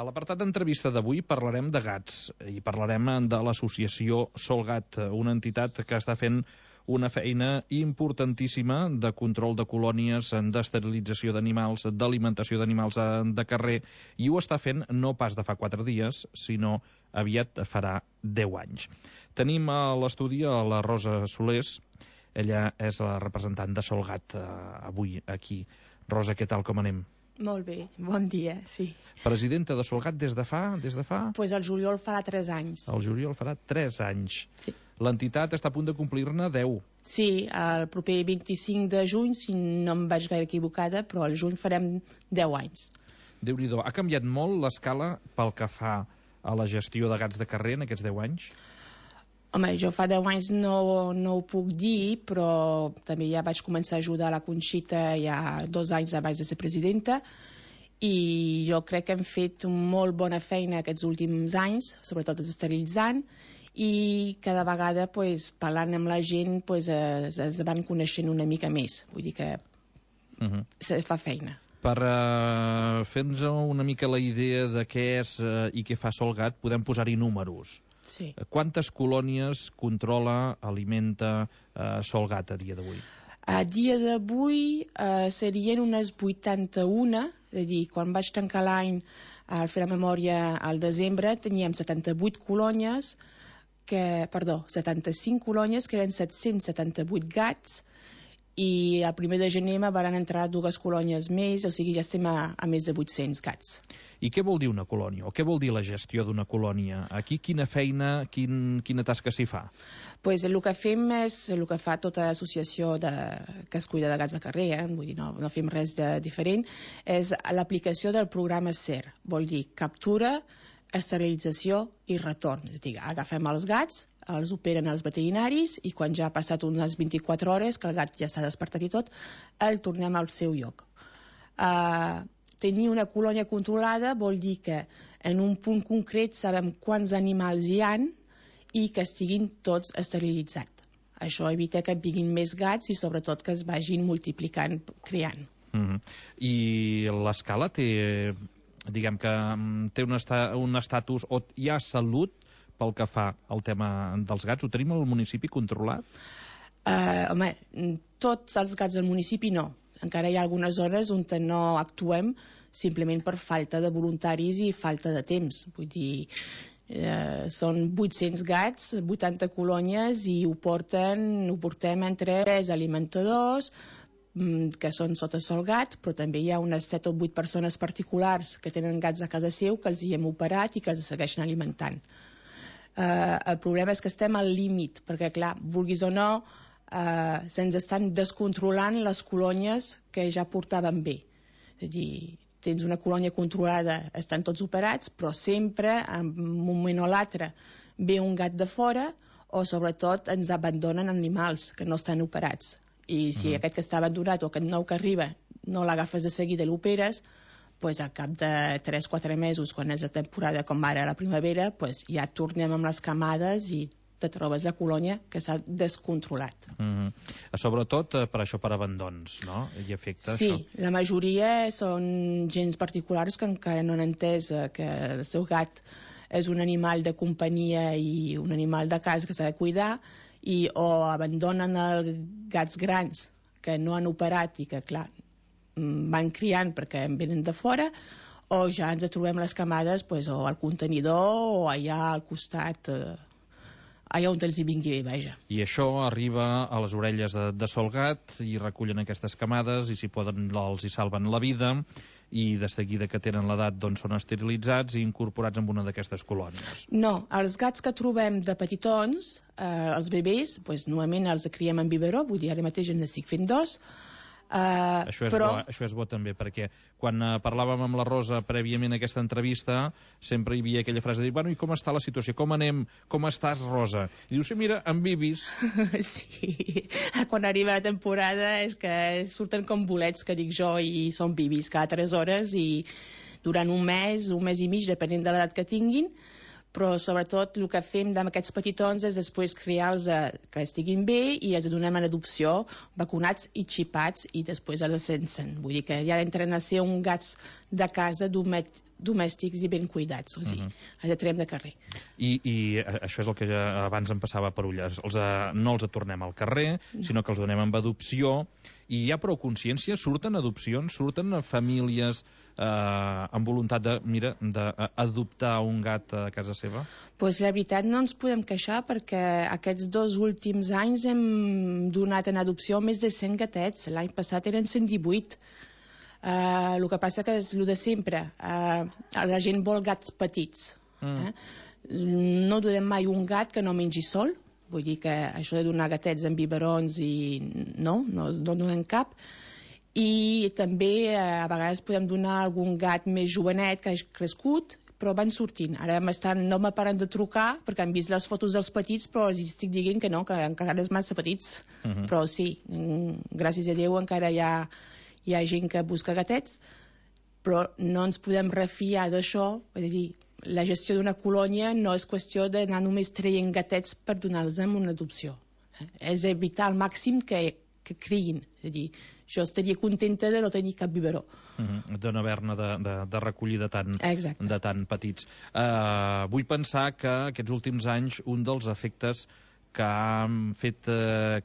A l'apartat d'entrevista d'avui parlarem de gats i parlarem de l'associació Solgat, una entitat que està fent una feina importantíssima de control de colònies, d'esterilització d'animals, d'alimentació d'animals de carrer, i ho està fent no pas de fa 4 dies, sinó aviat farà 10 anys. Tenim a l'estudi a la Rosa Solés, ella és la representant de Solgat avui aquí. Rosa, què tal, com anem? Molt bé, bon dia, sí. Presidenta de Solgat des de fa? Pues el juliol farà 3 anys. El juliol farà 3 anys. Sí. L'entitat està a punt de complir-ne 10. Sí, el proper 25 de juny, si no em vaig gaire equivocada, però al juny farem 10 anys. Déu-n'hi-do. Ha canviat molt l'escala pel que fa a la gestió de gats de carrer en aquests 10 anys? Home, jo fa 10 anys no ho puc dir, però també ja vaig començar a ajudar la Conxita ja 2 anys abans de ser presidenta, i jo crec que hem fet molt bona feina aquests últims anys, sobretot esterilitzant, i cada vegada parlant amb la gent es van coneixent una mica més, vull dir que se fa feina. Per fer-nos una mica la idea de què és i què fa Solgat, podem posar-hi números. Sí. Quantes colònies controla, alimenta Solgat a dia d'avui? A dia d'avui serien unes 81, és a dir, quan vaig tancar l'any al fer la memòria al desembre teníem 75 colònies, 75 colònies, que eren 778 gats, i el 1 de gener van entrar 2 colònies més, o sigui, ja estem a més de 800 gats. I què vol dir una colònia? O què vol dir la gestió d'una colònia? Aquí quina feina, quina tasca s'hi fa? Pues el que fem és el que fa tota l'associació que es cuida de gats de carrer, vull dir, no fem res de diferent, és l'aplicació del programa SER, vol dir captura, esterilització i retorn. És a dir, agafem els gats, els operen els veterinaris i quan ja ha passat unes 24 hores, que el gat ja s'ha despertat i tot, el tornem al seu lloc. Tenir una colònia controlada vol dir que en un punt concret sabem quants animals hi han i que estiguin tots esterilitzats. Això evita que vinguin més gats i sobretot que es vagin multiplicant, creant. I l'escala té, diguem que té un estatus, o hi ha salut pel que fa al tema dels gats? Ho tenim al municipi controlat? Home, tots els gats del municipi no. Encara hi ha algunes zones on no actuem simplement per falta de voluntaris i falta de temps. Vull dir, són 800 gats, 80 colònies i ho portem entre 3 alimentadors que són sota Solgat, però també hi ha unes 7 o 8 persones particulars que tenen gats a casa seu que els hi hem operat i que els segueixen alimentant. El problema és que estem al límit, perquè clar, vulguis o no, se'ns estan descontrolant les colònies que ja portaven bé. És a dir, tens una colònia controlada, estan tots operats, però sempre, en un moment o l'altre, ve un gat de fora o sobretot ens abandonen animals que no estan operats. I si aquest que està abandonat o aquest nou que arriba no l'agafes de seguida i l'operes, al cap de 3-4 mesos, quan és la temporada com ara a la primavera, ja tornem amb les camades i te trobes la colònia que s'ha descontrolat. Sobretot per això, per abandons, no? I afecta sí, això. La majoria són gens particulars que encara no han entès que el seu gat és un animal de companyia i un animal de casa que s'ha de cuidar, o abandonen els gats grans que no han operat i que, clar, van criant perquè en venen de fora, o ja ens trobem les camades o al contenidor o allà al costat, allà on els hi vingui bé, vaja. I això arriba a les orelles de Solgat i recullen aquestes camades i si poden els hi salven la vida i de seguida que tenen l'edat són esterilitzats i incorporats en una d'aquestes colònies. No, els gats que trobem de petitons, els bebès, normalment els criem en biberó, vull dir, ara mateix en estic fent 2. Això és bo també, perquè quan parlàvem amb la Rosa prèviament a aquesta entrevista sempre hi havia aquella frase de dir, bueno, i com està la situació, com anem, com estàs, Rosa? I diu, sí, mira, amb bibis. Sí, quan arriba la temporada és que surten com bolets, que dic jo, i són bibis cada 3 hores i durant un mes i mig, depenent de l'edat que tinguin, però sobretot el que fem amb aquests petitons és després criar-los que estiguin bé i els donem en adopció vacunats i xipats i després els sensen. Vull dir que ja entren a ser un gats de casa d'un domèstics i ben cuidats, o sigui, els traiem de carrer. I això és el que ja abans em passava per ulles. No els tornem al carrer, sinó que els donem amb adopció, i hi ha prou consciència? Surten adopcions? Surten famílies amb voluntat d'adoptar un gat a casa seva? Doncs la veritat no ens podem queixar, perquè aquests 2 últims anys hem donat en adopció més de 100 gatets. L'any passat eren 118. El que passa que és el de sempre. La gent vol gats petits. No donem mai un gat que no mengi sol. Vull dir que això de donar gatets amb biberons no donem cap. I també a vegades podem donar algun gat més jovenet que ha crescut, però van sortint. Ara no me paren de trucar perquè han vist les fotos dels petits, però els estic dient que no, que encara és massa petits. Però sí, gràcies a Déu encara hi ha gent que busca gatets, però no ens podem refiar d'això. És a dir, la gestió d'una colònia no és qüestió d'anar només traient gatets per donar-los en una adopció. És evitar al màxim que criïn. És a dir, jo estaria contenta de no tenir cap biberó. De no haver-ne de recollir de tan petits. Vull pensar que aquests últims anys un dels efectes que han fet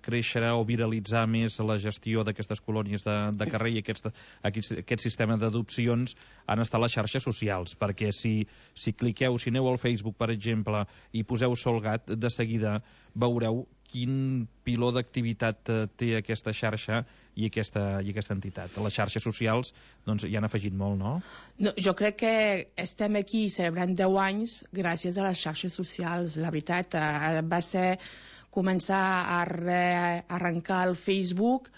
créixer o viralitzar més la gestió d'aquestes colònies de carrer i aquest sistema d'adopcions han estat les xarxes socials, perquè si cliqueu, si aneu al Facebook, per exemple, i poseu Solgat, de seguida veureu quin piló d'activitat té aquesta xarxa i aquesta entitat. Les xarxes socials hi han afegit molt, no? Jo crec que estem aquí celebrant 10 anys gràcies a les xarxes socials. La veritat, va ser començar a arrencar el Facebook,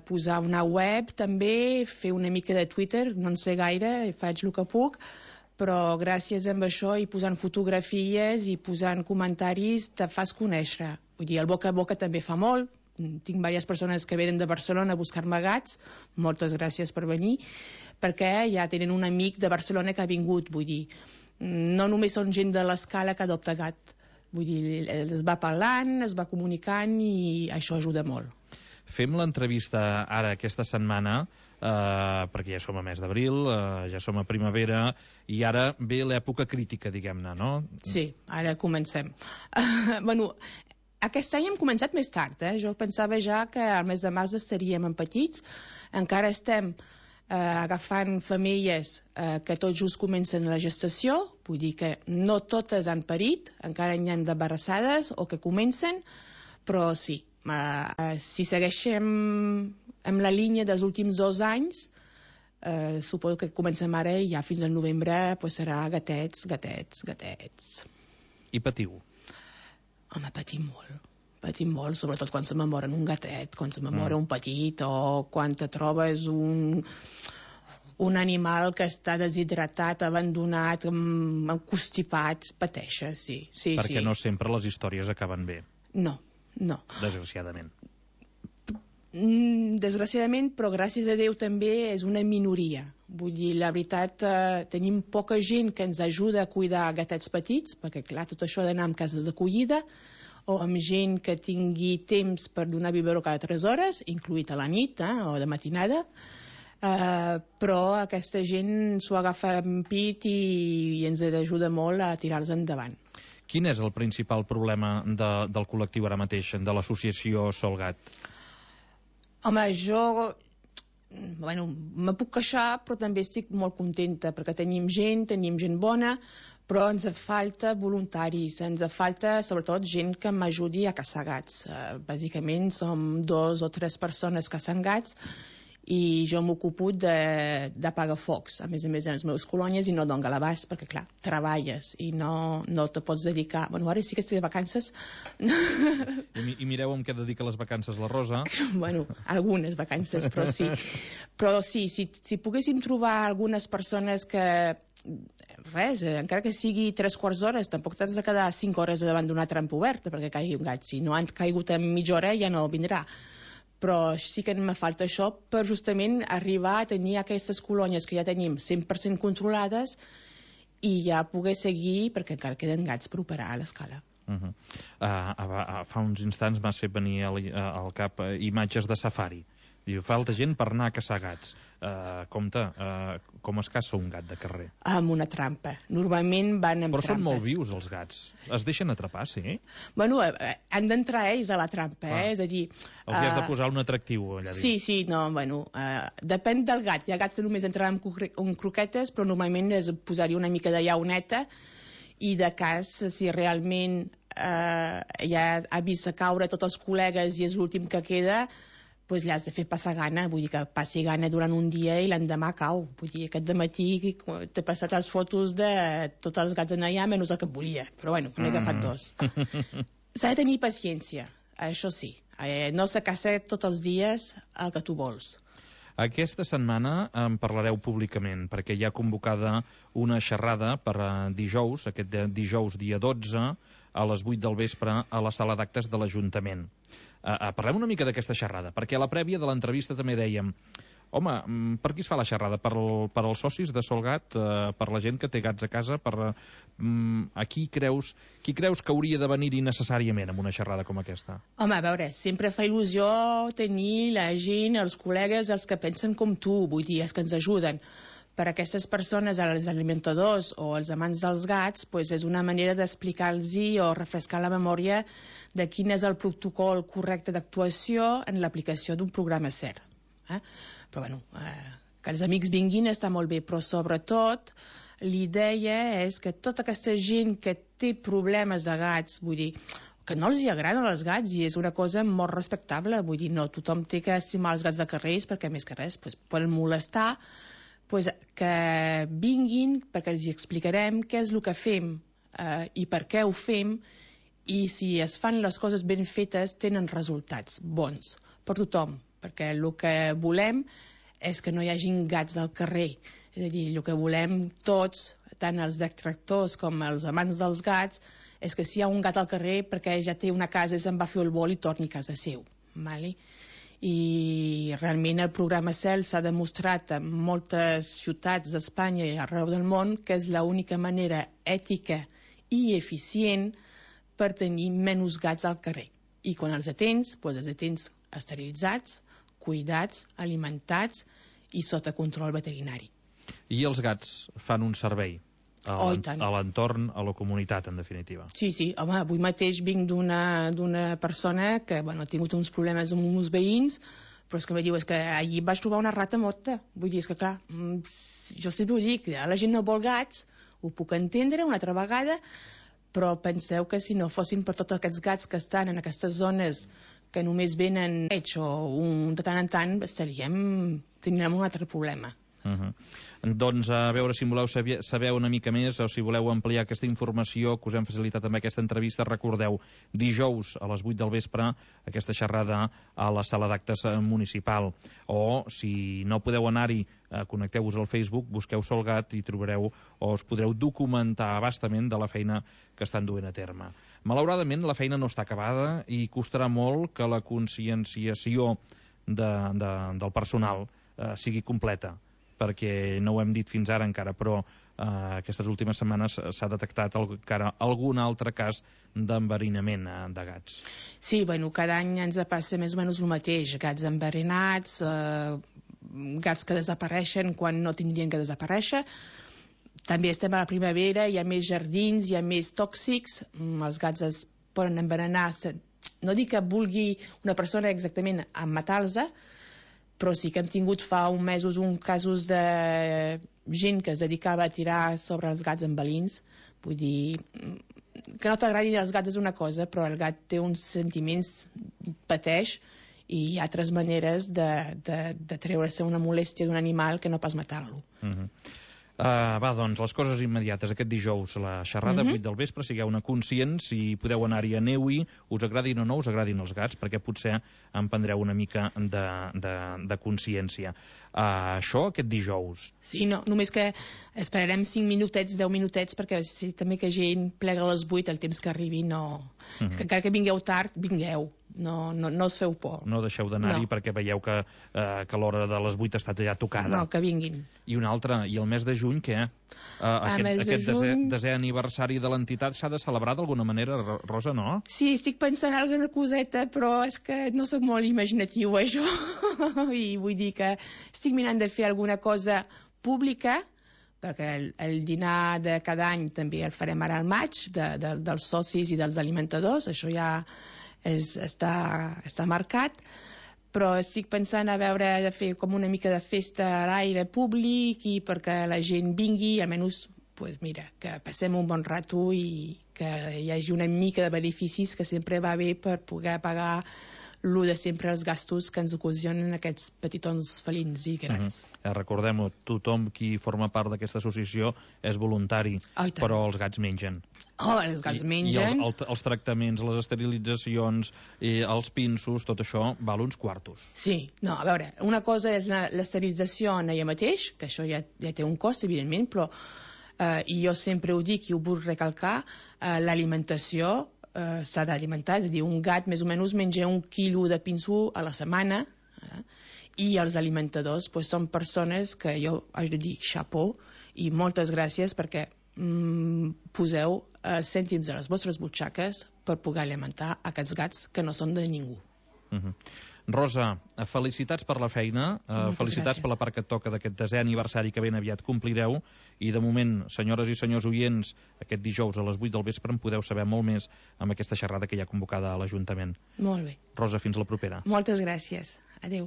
posar una web també, fer una mica de Twitter, no en sé gaire, faig el que puc, però gràcies a això i posant fotografies i posant comentaris te fas conèixer. Vull dir, el boca a boca també fa molt. Tinc diverses persones que venen de Barcelona a buscar-me gats, moltes gràcies per venir, perquè ja tenen un amic de Barcelona que ha vingut. Vull dir, no només són gent de l'Escala que adopta gat. Vull dir, es va parlant, es va comunicant i això ajuda molt. Fem l'entrevista ara, aquesta setmana, perquè ja som a mes d'abril, ja som a primavera, i ara ve l'època crítica, diguem-ne, no? Sí, ara comencem. Bueno, aquest any hem començat més tard, Jo pensava ja que al mes de març estaríem en petits. Encara estem agafant femelles que tot just comencen la gestació, vull dir que no totes han parit, encara hi ha d'embarassades o que comencen, però sí, si segueixem amb la línia dels últims 2 anys, suposo que comencem ara i ja fins al novembre serà gatets. I patiu? Home, patim molt, sobretot quan se m'amoren un gatet, quan se m'amora un petit, o quan te trobes un animal que està deshidratat, abandonat, constipat, pateixes, sí. Perquè no sempre les històries acaben bé. No. Desgraciadament. Desgraciadament, però gràcies a Déu també és una minoria. Vull dir, la veritat, tenim poca gent que ens ajuda a cuidar gatets petits, perquè clar, tot això d'anar en cases d'acollida, o amb gent que tingui temps per donar biberó cada 3 hores, incluït a la nit o de matinada, però aquesta gent s'ho agafa en pit i ens ajuda molt a tirar-los endavant. Quin és el principal problema del col·lectiu ara mateix, de l'associació Solgat? Home, me puc queixar, però també estic molt contenta, perquè tenim gent bona, però ens falta voluntaris, ens falta sobretot gent que m'ajudi a caçar gats. Bàsicament som 2 o 3 persones caçant gats i jo m'ocupo d'apagar focs, a més en les meves colònies, i no dono l'abast, perquè clar, treballes i no te pots dedicar. Bueno, ara sí que estic de vacances. I mireu amb què dedica les vacances la Rosa. Bueno, algunes vacances, però sí. Però sí, si poguéssim trobar algunes persones que res, encara que sigui 3/4 d'hora, tampoc t'has de quedar 5 hores davant d'una trampa oberta perquè caigui un gat. Si no han caigut en mitja hora ja no vindrà. Però sí que me falta això per justament arribar a tenir aquestes colònies que ja tenim 100% controlades i ja poder seguir, perquè encara queden gats per operar a l'Escala. Fa uns instants m'has fet venir al cap imatges de safari. Diu, falta gent per anar a caçar gats. Compte, com es caça un gat de carrer? Amb una trampa. Normalment van amb Però trampes. són molt vius, els gats. Es deixen atrapar, sí? Bueno, han d'entrar ells a la trampa, És a dir... Els hi has de posar un atractiu, allà dins. Sí, no, bueno, depèn del gat. Hi ha gats que només entraran amb croquetes, però normalment és posar-hi una mica de llauneta, i de cas, si realment ja ha vist caure tots els col·legues i és l'últim que queda, doncs l'has de fer passar gana, vull dir que passi gana durant un dia i l'endemà cau. Vull dir, aquest dematí t'he passat les fotos de tots els gats en allà, menys el que volia. Però bueno, n'he agafat 2. S'ha de tenir paciència, això sí. No se caça tots els dies el que tu vols. Aquesta setmana en parlareu públicament, perquè hi ha convocada una xerrada per dijous, aquest dijous dia 12, a les 8 del vespre, a la sala d'actes de l'Ajuntament. Parlem una mica d'aquesta xerrada, perquè a la prèvia de l'entrevista també dèiem home, per qui es fa la xerrada? Per als socis de Solgat? Per la gent que té gats a casa? Qui creus que hauria de venir-hi necessàriament amb una xerrada com aquesta? Home, a veure, sempre fa il·lusió tenir la gent, els col·legues, els que pensen com tu, vull dir, els que ens ajuden. Per a aquestes persones, els alimentadors o els amants dels gats, doncs és una manera d'explicar-los o refrescar la memòria de quin és el protocol correcte d'actuació en l'aplicació d'un programa SER. Però bueno, que els amics vinguin està molt bé, però sobretot l'idea és que tota aquesta gent que té problemes de gats, vull dir, que no els hi agraden els gats i és una cosa molt respectable, vull dir, no tothom té que estimar els gats de carrers perquè més que res poden molestar, que vinguin perquè els hi explicarem què és el que fem i per què ho fem, i si es fan les coses ben fetes tenen resultats bons per tothom, perquè el que volem és que no hi hagin gats al carrer. És a dir, el que volem tots, tant els detractors com els amants dels gats, és que si hi ha un gat al carrer perquè ja té una casa, se'n va fer el vol i torni a casa seu. Vale? I realment el programa CEL s'ha demostrat en moltes ciutats d'Espanya i arreu del món que és l'única manera ètica i eficient per tenir menys gats al carrer. I quan els atens, doncs els atens esterilitzats, cuidats, alimentats i sota control veterinari. I els gats fan un servei a l'entorn, a la comunitat, en definitiva. Sí, home, avui mateix vinc d'una persona que ha tingut uns problemes amb uns veïns, però és que em diu, és que allí vaig trobar una rata morta. Vull dir, és que clar, jo sempre ho dic, la gent no vol gats, ho puc entendre una altra vegada, però penseu que si no fossin per tots aquests gats que estan en aquestes zones que només venen o de tant en tant, tindríem un altre problema. Doncs a veure si voleu saber una mica més o si voleu ampliar aquesta informació que us hem facilitat amb aquesta entrevista, recordeu, dijous a les 8 del vespre aquesta xerrada a la sala d'actes municipal, o si no podeu anar-hi, connecteu-vos al Facebook, busqueu Solgat i trobareu o us podreu documentar abastament de la feina que estan duent a terme. Malauradament la feina no està acabada i costarà molt que la conscienciació del personal sigui completa, perquè no ho hem dit fins ara encara, però aquestes últimes setmanes s'ha detectat encara algun altre cas d'enverinament de gats. Sí, cada any ens passa més o menys el mateix, gats enverinats, gats que desapareixen quan no tindrien que desaparèixer. També estem a la primavera, hi ha més jardins, hi ha més tòxics, els gats es poden envenenar, no dic que vulgui una persona exactament a matar-los, però sí que hem tingut fa uns mesos casos de gent que es dedicava a tirar sobre els gats amb balins. Vull dir, que no t'agradi els gats és una cosa, però el gat té uns sentiments, pateix, i hi ha altres maneres de treure-se una molèstia d'un animal que no pas matar-lo. Doncs les coses immediates. Aquest dijous la xerrada, 8 del vespre, sigueu-ne conscients, si podeu anar-hi, aneu-hi, us agradin o no us agradin els gats, perquè potser en prendreu una mica de consciència. Això aquest dijous. Sí, no, només que esperarem 5 minutets, 10 minutets, perquè si també que gent plega a les 8, el temps que arribi no... Que encara que vingueu tard, vingueu. no us feu por. No deixeu d'anar-hi perquè veieu que l'hora de les 8 està ja tocada. No, que vinguin. I una altra, i el mes de juny, què? Aquest desè aniversari de l'entitat s'ha de celebrar d'alguna manera, Rosa, no? Sí, estic pensant en alguna coseta, però és que no sóc molt imaginatiu, això. I vull dir que estic mirant de fer alguna cosa pública, perquè el dinar de cada any també el farem ara al maig, dels socis i dels alimentadors, això ja està marcat, però estic pensant a veure de fer com una mica de festa a l'aire públic i perquè la gent vingui, almenys, pues mira, que passem un bon rato i que hi hagi una mica de beneficis, que sempre va bé per poder pagar lo de sempre els gastos que ens ocasionen aquests petitons felins i grans. Recordem-ho, tothom qui forma part d'aquesta associació és voluntari, però els gats mengen. Els gats mengen. I els tractaments, les esterilitzacions, els pinços, tot això val uns quartos. Sí, no, a veure, una cosa és l'esterilització en ella mateix, que això ja té un cost, evidentment, però i jo sempre ho dic i ho vull recalcar, l'alimentació s'ha d'alimentar, és a dir, un gat més o menys menja 1 quilo de pinso a la setmana, i els alimentadors són persones que jo haig de dir xapó i moltes gràcies perquè poseu cèntims a les vostres butxaques per poder alimentar aquests gats que no són de ningú. Rosa, felicitats per la feina, felicitats per la part que et toca d'aquest desè aniversari que ben aviat complireu, i de moment, senyores i senyors oients, aquest dijous a les 8 del vespre en podeu saber molt més amb aquesta xerrada que hi ha convocada a l'Ajuntament. Molt bé. Rosa, fins la propera. Moltes gràcies. Adéu.